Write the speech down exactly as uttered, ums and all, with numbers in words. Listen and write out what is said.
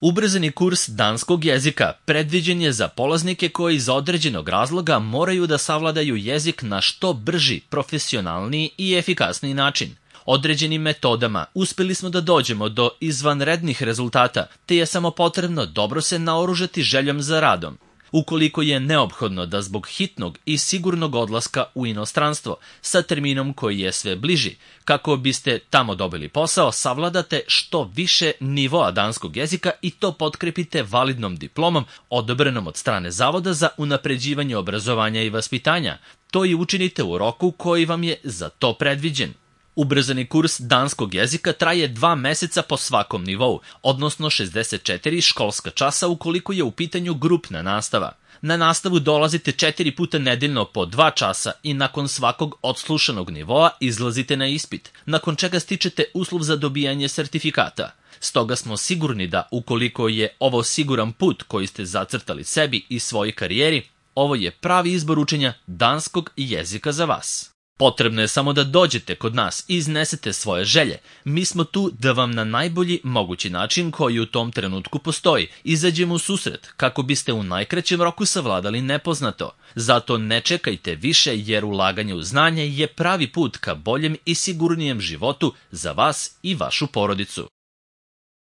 Ubrzani kurs danskog jezika predviđen je za polaznike koji iz određenog razloga moraju da savladaju jezik na što brži, profesionalniji i efikasniji način. Određenim metodama uspeli smo da dođemo do izvanrednih rezultata, te je samo potrebno dobro se naoružati željom za radom. Ukoliko je neophodno da zbog hitnog i sigurnog odlaska u inostranstvo sa terminom koji je sve bliži, kako biste tamo dobili posao, savladate što više nivoa danskog jezika i to potkrepite validnom diplomom odobrenom od strane Zavoda za unapređivanje obrazovanja i vaspitanja. To i učinite u roku koji vam je za to predviđen. Ubrzani kurs danskog jezika traje dva meseca po svakom nivou, odnosno šezdeset četiri školska časa ukoliko je u pitanju grupna nastava. Na nastavu dolazite četiri puta nedeljno po dva časa i nakon svakog odslušanog nivoa izlazite na ispit, nakon čega stičete uslov za dobijanje sertifikata. Stoga smo sigurni da ukoliko je ovo siguran put koji ste zacrtali sebi i svojoj karijeri, ovo je pravi izbor učenja danskog jezika za vas. Potrebno je samo da dođete kod nas i iznesete svoje želje. Mi smo tu da vam na najbolji mogući način koji u tom trenutku postoji izađemo u susret kako biste u najkraćem roku savladali nepoznato. Zato ne čekajte više jer ulaganje u znanje je pravi put ka boljem i sigurnijem životu za vas i vašu porodicu.